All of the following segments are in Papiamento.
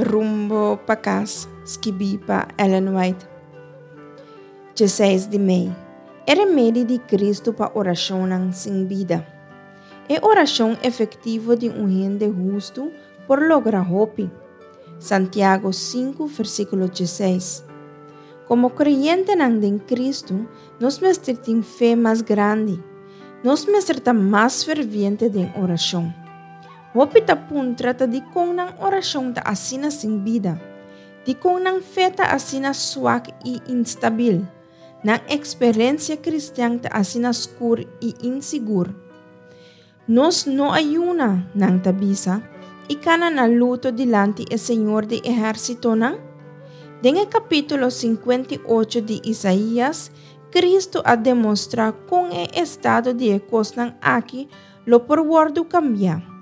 Rumbo pa Kas, skibí pa Ellen White. 16 di mei. E remedi di Kristu pa orashonnan sin bida. E orashon efektivo di un hende hustu por logra hopi. Santiago 5 versíkulo 16. Komo kreyentenan den Kristu, nos mester tin fe mas grandi. Nos mester ta mas ferviente den orashon. Hopi ta puntra ta dikon nan orashon ta asina sin bida, dikon nan fe ta asina swak i instabil, nan eksperensia kristian ta asina skur i insigur. Nos no a yuna, nan ta bisa, i kana na luto dilanti e Señor di ehérsitonan? Den e kapítulo 58 di Isaías, Kristu a demostrá kon e estado di e kosnan aki lo por wòrdu kambiá.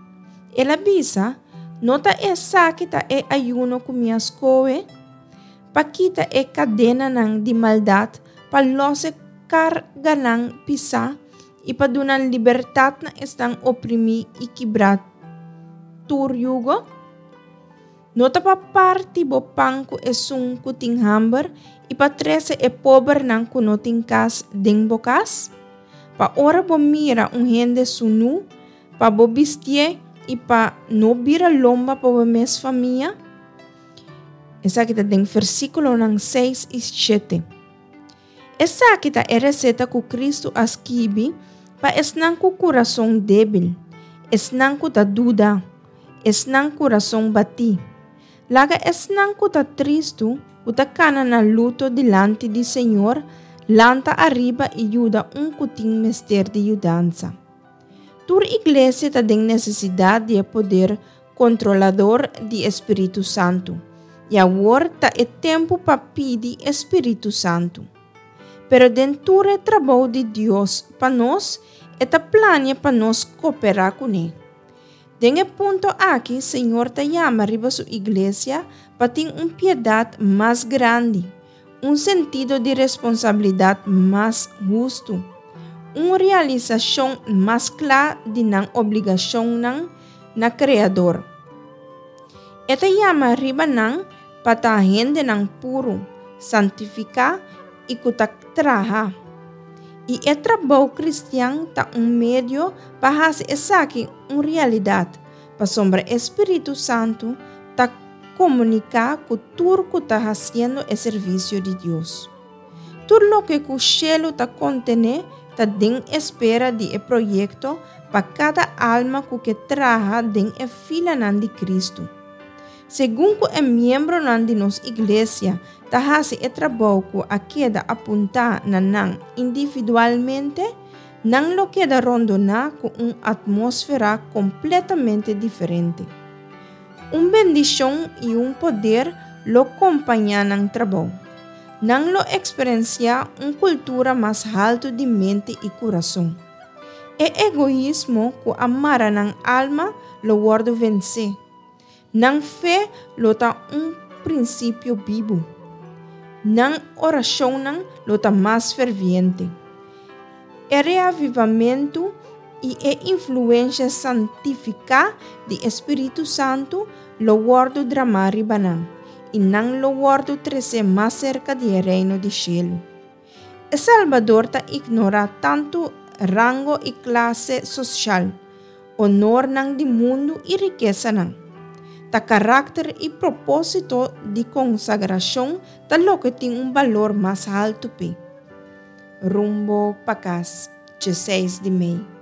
El a bisa, No ta esaki ta e ayuno ku mi a skohe? Pa kita e kadenanan di maldat, pa lòs e karganan pisá i pa duna libertat na esnan oprimí i kibrá tur yugo? No ta pa parti bo pan ku esun ku tin hamber i pa trese e pobernan ku no tin kas den bo kas? Pa ora bo mira un hende sunú, pa bo bistié i pa no bira lomba pa bo mes famia? Esaki ta den versíkulonan 6 i 7. Esaki ta e reseta ku Kristu a skibi pa esnan ku kurason débil, esnan ku ta duda, esnan kurason batí. Laga esnan ku ta tristu, ku ta kana na luto dilanti di Señor, lanta ariba i yuda un ku tin mester di yudansa. Tur iglesia ta den nesesidat di e poder kontrolador di e Spiritu Santu, i awor ta e tempu pa pidi e Spiritu Santu. Pero den tur e trabou di Dios pa nos, e ta plania pa nos koperá kuné. Den e punto aki Señor ta yama riba su iglesia pa tin un piedat mas grandi, un sentido di responsabilidat mas hustu, un realisashon mas kla di nan obligashonnan na Kreador. E ta yama riba nan pa ta hendenan puru, santifiká i ku ta traha. I e trabou kristian ta un medio pa hasi esaki un realidat, pasobra e spiritu santu ta komuniká ku tur ku ta hasiendo e servisio di Dios. Tur loke ku shelu ta kontené ta den espera di e proyekto pa kada alma ku ke traha den e filanan di Kristu. Segun ku e miembronan di nos iglesia ta hasi e trabou ku a keda apuntá na nan individualmente, nan lo keda rondoná ku un atmósfera kompletamente diferente. Un bendishon i un poder lo kompañá nan trabou. Nan lo eksperensiá un kultura mas haltu di mente i kurason. E egoismo ku a mara nan alma lo wòrdu vensé. Nan fe lo ta un prinsipio bibu. Nan orashonnan lo ta mas ferviente. E reavivamentu i e influensha santifiká di e Spiritu Santu lo wòrdu dramá riba nan, i nan lo wòrdu tresé mas serka di e reino di shelu. E Salbador ta ignorá tantu rango i klase soshal, onornan di mundu i rikesanan. Ta karakter i propósito di konsagrashon ta loke tin un balor mas haltu p'e. Rumbo pa kas, 16 di mei.